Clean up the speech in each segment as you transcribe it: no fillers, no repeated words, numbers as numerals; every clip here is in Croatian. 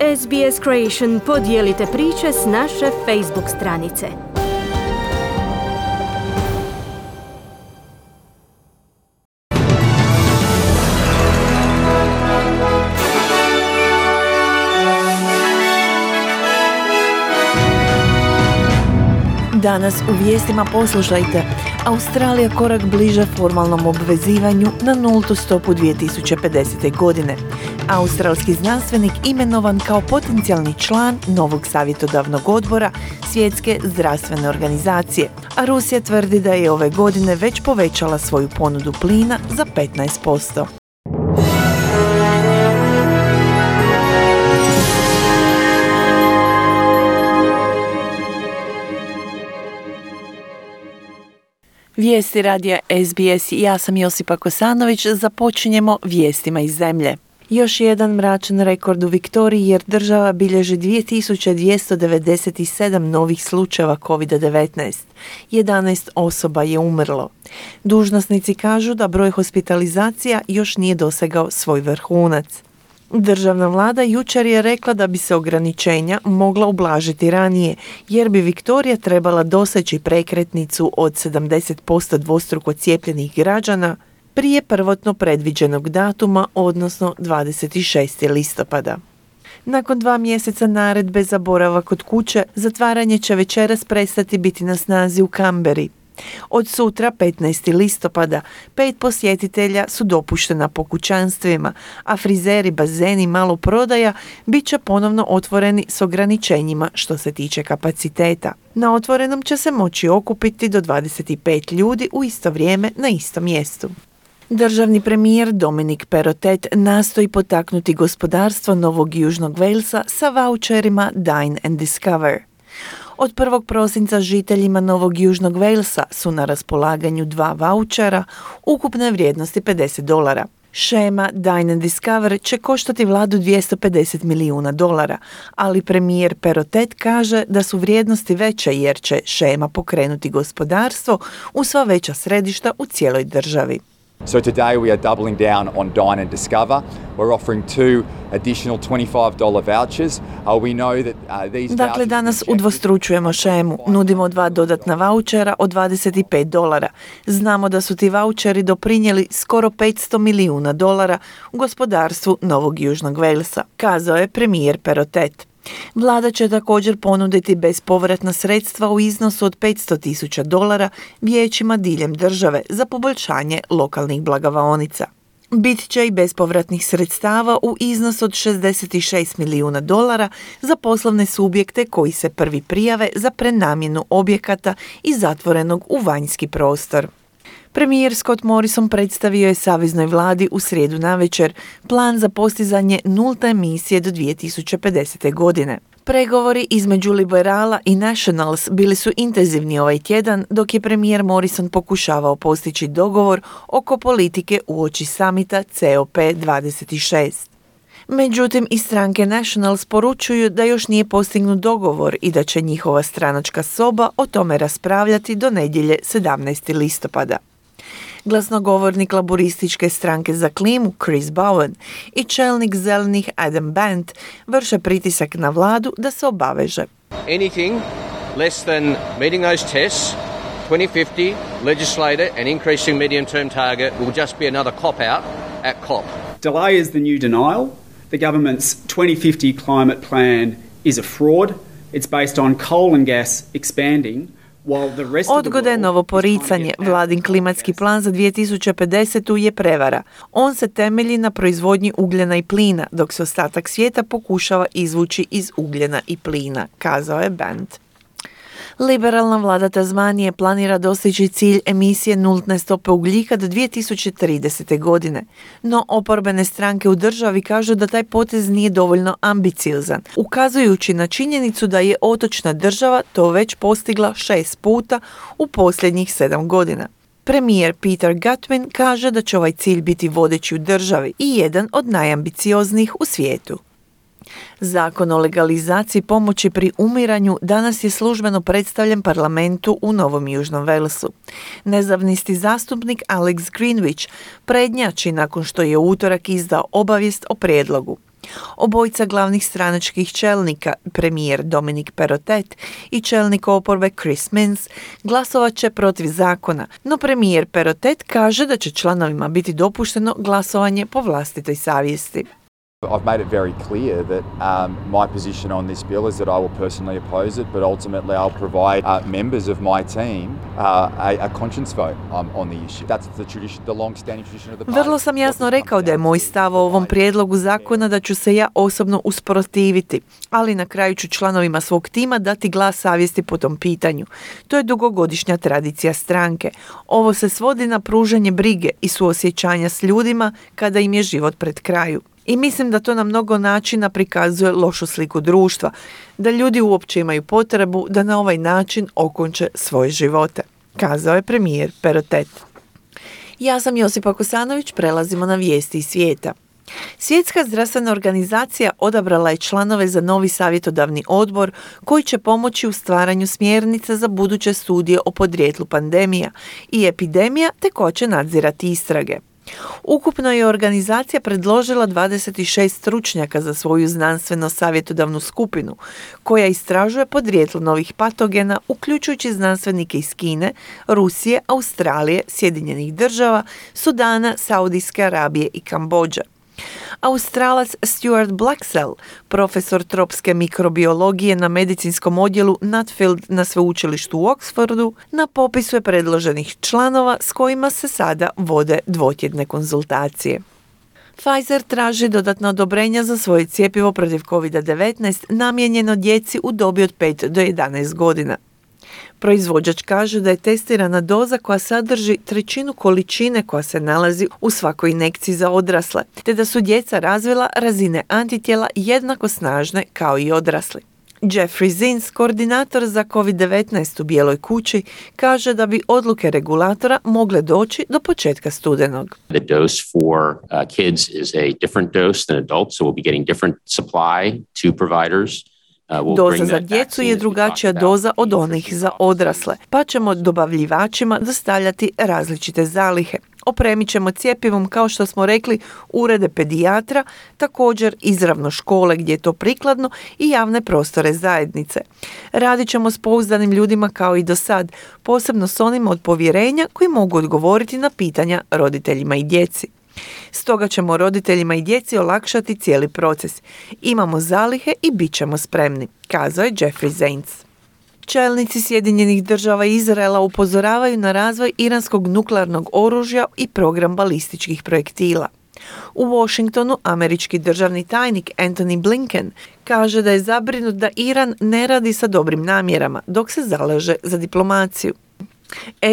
SBS Creation podijelite priče s naše Facebook stranice. Danas u vijestima poslušajte. Australija korak bliže formalnom obvezivanju na nultu stopu 2050. godine. Australski znanstvenik imenovan kao potencijalni član novog savjetodavnog odbora Svjetske zdravstvene organizacije. A Rusija tvrdi da je ove godine već povećala svoju ponudu plina za 15%. Vijesti radija SBS, ja sam Josipa Kosanović, započinjemo vijestima iz zemlje. Još jedan mračan rekord u Viktoriji jer država bilježi 2297 novih slučajeva COVID-19. 11 osoba je umrlo. Dužnosnici kažu da broj hospitalizacija još nije dosegao svoj vrhunac. Državna vlada jučer je rekla da bi se ograničenja mogla ublažiti ranije, jer bi Viktorija trebala doseći prekretnicu od 70% dvostruko cijepljenih građana prije prvotno predviđenog datuma, odnosno 26. listopada. Nakon 2 mjeseca naredbe za boravak kod kuće, zatvaranje će večeras prestati biti na snazi u Canberri. Od sutra, 15. listopada, 5 posjetitelja su dopuštena po kućanstvima, a frizeri, bazeni i maloprodaja bit će ponovno otvoreni s ograničenjima što se tiče kapaciteta. Na otvorenom će se moći okupiti do 25 ljudi u isto vrijeme na istom mjestu. Državni premijer Dominic Perrottet nastoji potaknuti gospodarstvo Novog Južnog Walesa sa vaučerima Dine and Discover. Od 1. prosinca žiteljima Novog Južnog Walesa su na raspolaganju 2 vaučera ukupne vrijednosti $50. Shema Dine and Discover će koštati vladu $250 milijuna, ali premijer Perrottet kaže da su vrijednosti veće jer će shema pokrenuti gospodarstvo u sva veća središta u cijeloj državi. So today we are doubling down on Dine and Discover. We're offering 2 additional $25 vouchers. We know that these Dakle, danas udvostručujemo shemu. Nudimo 2 dodatna vaučera od $25. Znamo da su ti vaučeri doprinijeli skoro $500 milijuna u gospodarstvu Novog Južnog Walesa, kazao je premijer Perrottet. Vlada će također ponuditi bespovratna sredstva u iznosu od $500,000 vijećima diljem države za poboljšanje lokalnih blagavaonica. Bit će i bespovratnih sredstava u iznosu od $66 milijuna za poslovne subjekte koji se prvi prijave za prenamjenu objekata i zatvorenog u vanjski prostor. Premijer Scott Morrison predstavio je saveznoj vladi u srijedu navečer plan za postizanje nulte emisije do 2050. godine. Pregovori između liberala i Nationals bili su intenzivni ovaj tjedan, dok je premijer Morrison pokušavao postići dogovor oko politike uoči samita COP26. Međutim, iz stranke Nationals poručuju da još nije postignut dogovor i da će njihova stranačka soba o tome raspravljati do nedjelje 17. listopada. Glasnogovornik laborističke stranke za klimu Chris Bowen i čelnik zelenih Adam Band vrše pritisak na vladu da se obaveže. Anything less than meeting those tests, 2050 legislated and increasing medium-term target will just be another cop-out at COP. Delay is the new denial. The government's 2050 climate plan is a fraud. It's based on coal and gas expanding. Odgoda je novo poricanje. Vladin klimatski plan za 2050. je prevara. On se temelji na proizvodnji ugljena i plina, dok se ostatak svijeta pokušava izvući iz ugljena i plina, kazao je Band. Liberalna vlada Tasmanije planira dostići cilj emisije nultne stope ugljika do 2030. godine. No oporbene stranke u državi kažu da taj potez nije dovoljno ambiciozan, ukazujući na činjenicu da je otočna država to već postigla 6 puta u posljednjih 7 godina. Premijer Peter Gutwein kaže da će ovaj cilj biti vodeći u državi i jedan od najambicioznijih u svijetu. Zakon o legalizaciji pomoći pri umiranju danas je službeno predstavljen parlamentu u Novom Južnom Walesu. Nezavisni zastupnik Alex Greenwich prednjači nakon što je u utorak izdao obavijest o prijedlogu. Obojica glavnih stranačkih čelnika, premijer Dominic Perrottet i čelnik oporbe Chris Minns, glasovat će protiv zakona, no premijer Perrottet kaže da će članovima biti dopušteno glasovanje po vlastitoj savjesti. I've made it very clear that my position on this bill is that I will personally oppose it, but ultimately I'll provide members of my team a conscience vote on the issue. That's the tradition, the long-standing tradition of the party. Vrlo sam jasno rekao da je moj stav o ovom prijedlogu zakona da ću se ja osobno usprotiviti, ali na kraju ću članovima svog tima dati glas savjesti po tom pitanju. To je dugogodišnja tradicija stranke. Ovo se svodi na pružanje brige i suosjećanja s ljudima kada im je život pred kraju. I mislim da to na mnogo načina prikazuje lošu sliku društva, da ljudi uopće imaju potrebu da na ovaj način okonče svoje živote, kazao je premijer Perrottet. Ja sam Josipa Kosanović, prelazimo na vijesti iz svijeta. Svjetska zdravstvena organizacija odabrala je članove za novi savjetodavni odbor koji će pomoći u stvaranju smjernica za buduće studije o podrijetlu pandemija i epidemija te ko će nadzirati istrage. Ukupno je organizacija predložila 26 stručnjaka za svoju znanstveno-savjetodavnu skupinu, koja istražuje podrijetlo novih patogena, uključujući znanstvenike iz Kine, Rusije, Australije, Sjedinjenih Država, Sudana, Saudijske Arabije i Kambodže. Australac Stuart Blaxell, profesor tropske mikrobiologije na medicinskom odjelu Nutfield na sveučilištu u Oxfordu, na popisu je predloženih članova s kojima se sada vode dvotjedne konzultacije. Pfizer traži dodatna odobrenja za svoje cjepivo protiv COVID-19 namijenjeno djeci u dobi od 5 do 11 godina. Proizvođač kaže da je testirana doza koja sadrži 1/3 količine koja se nalazi u svakoj injekciji za odrasle, te da su djeca razvila razine antitijela jednako snažne kao i odrasli. Jeffrey Zients, koordinator za COVID-19 u Bijeloj kući, kaže da bi odluke regulatora mogle doći do početka studenog. The dose for kids is a different dose than adults, so we'll be getting different supply to providers. Doza za djecu je drugačija doza od onih za odrasle, pa ćemo dobavljivačima dostavljati različite zalihe. Opremit ćemo cjepivom, kao što smo rekli, urede pedijatra, također izravno škole gdje je to prikladno i javne prostore zajednice. Radit ćemo s pouzdanim ljudima kao i do sad, posebno s onima od povjerenja koji mogu odgovoriti na pitanja roditeljima i djeci. Stoga ćemo roditeljima i djeci olakšati cijeli proces. Imamo zalihe i bit ćemo spremni, kazao je Jeffrey Zients. Čelnici Sjedinjenih Država i Izraela upozoravaju na razvoj iranskog nuklearnog oružja i program balističkih projektila. U Washingtonu američki državni tajnik Antony Blinken kaže da je zabrinut da Iran ne radi sa dobrim namjerama dok se zalaže za diplomaciju.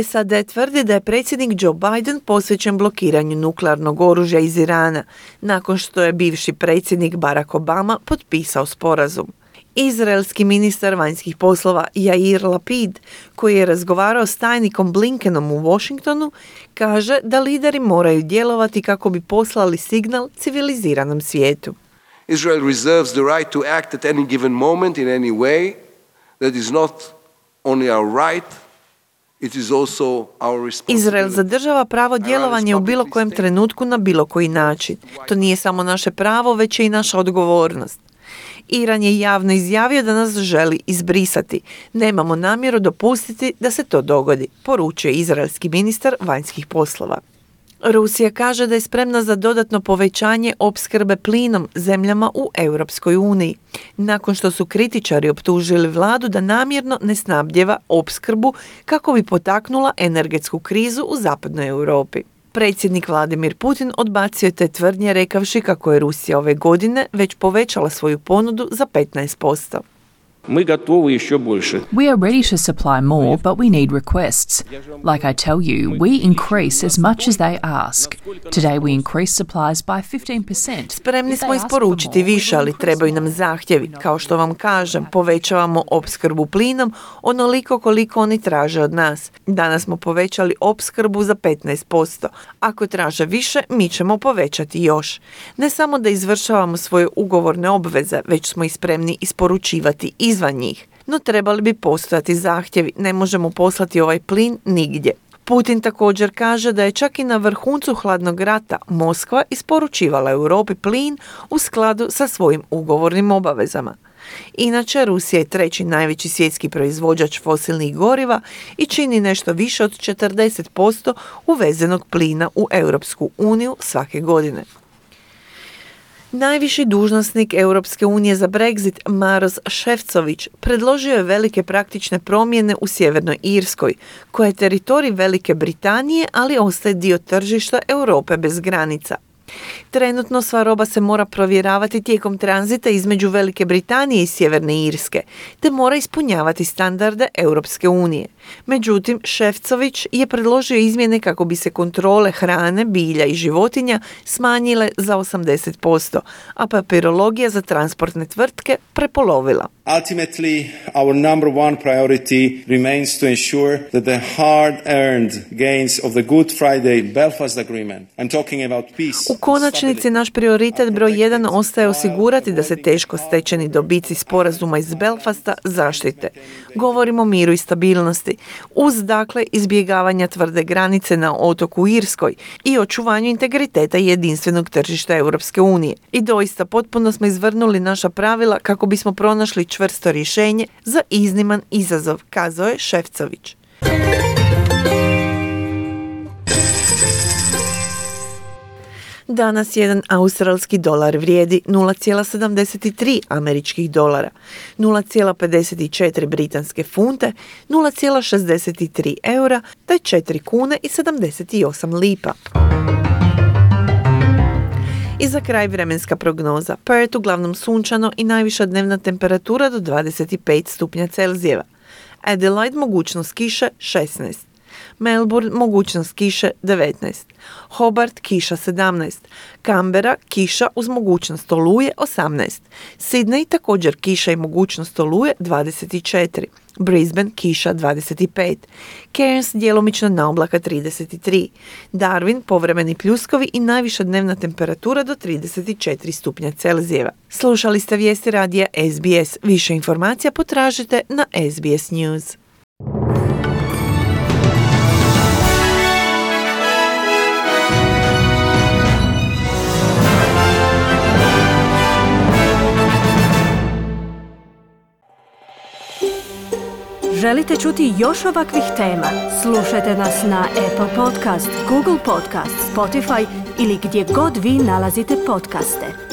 SAD tvrdi da je predsjednik Joe Biden posvećen blokiranju nuklearnog oružja iz Irana, nakon što je bivši predsjednik Barack Obama potpisao sporazum. Izraelski ministar vanjskih poslova Yair Lapid, koji je razgovarao s tajnikom Blinkenom u Washingtonu, kaže da lideri moraju djelovati kako bi poslali signal civiliziranom svijetu. Israel reserves the right to act at any given moment in any way. That is not only our right, it is also our responsibility. Izrael zadržava pravo djelovanja u bilo kojem trenutku na bilo koji način. To nije samo naše pravo, već je i naša odgovornost. Iran je javno izjavio da nas želi izbrisati. Nemamo namjeru dopustiti da se to dogodi, poručuje izraelski ministar vanjskih poslova. Rusija kaže da je spremna za dodatno povećanje opskrbe plinom zemljama u Europskoj uniji, nakon što su kritičari optužili vladu da namjerno ne snabdijeva opskrbu kako bi potaknula energetsku krizu u zapadnoj Europi. Predsjednik Vladimir Putin odbacio je te tvrdnje rekavši kako je Rusija ove godine već povećala svoju ponudu za 15%. Мы готовы еще больше. We are ready to supply more, but we need requests. Like I tell you, we increase as much as they ask. Today we increase supplies by 15%. Spremni smo isporučiti više, ali trebaju nam zahtjevi. Kao što vam kažem, povećavamo opskrbu plinom onoliko koliko oni traže od nas. Danas smo povećali opskrbu za 15%. Ako traže više, mi ćemo povećati još. Ne samo da izvršavamo svoje ugovorne obveze, već smo i spremni isporučivati izvan njih. No trebali bi postojati zahtjevi, ne možemo poslati ovaj plin nigdje. Putin također kaže da je čak i na vrhuncu hladnog rata Moskva isporučivala Europi plin u skladu sa svojim ugovornim obavezama. Inače, Rusija je treći najveći svjetski proizvođač fosilnih goriva i čini nešto više od 40% uvezenog plina u Europsku uniju svake godine. Najviši dužnosnik Europske unije za Brexit, Maroš Šefčovič, predložio je velike praktične promjene u Sjevernoj Irskoj, koja je teritorij Velike Britanije, ali ostaje dio tržišta Europe bez granica. Trenutno sva roba se mora provjeravati tijekom tranzita između Velike Britanije i Sjeverne Irske, te mora ispunjavati standarde Europske unije. Međutim, Šefčovič je predložio izmjene kako bi se kontrole hrane, bilja i životinja smanjile za 80%, a papirologija za transportne tvrtke prepolovila. Ultimately, our number one priority remains to ensure that the hard-earned gains of the Good Friday Belfast Agreement, I'm talking about peace. U konačnici naš prioritet broj 1 ostaje osigurati da se teško stečeni dobici sporazuma iz Belfasta zaštite. Govorimo o miru i stabilnosti, uz dakle izbjegavanja tvrde granice na otoku Irskoj i očuvanju integriteta jedinstvenog tržišta Europske unije. I doista potpuno smo izvrnuli naša pravila kako bismo pronašli čvrsto rješenje za izniman izazov, kazao je Šefčovič. Danas jedan australski dolar vrijedi 0,73 američkih dolara, 0,54 britanske funte, 0,63 eura te 4 kune i 78 lipa. I za kraj vremenska prognoza. Perth uglavnom sunčano i najviša dnevna temperatura do 25 stupnja Celzijeva. Adelaide mogućnost kiše 16. Melbourne mogućnost kiše 19. Hobart kiša 17. Canberra kiša uz mogućnost oluje 18. Sydney također kiša i mogućnost oluje 24. Brisbane kiša 25. Cairns djelomično na oblaka 33. Darwin povremeni pljuskovi i najviša dnevna temperatura do 34 stupnja Celzijeva. Slušali ste vijesti radija SBS. Više informacija potražite na SBS News. Želite čuti još ovakvih tema? Slušajte nas na Apple Podcast, Google Podcast, Spotify ili gdje god vi nalazite podcaste.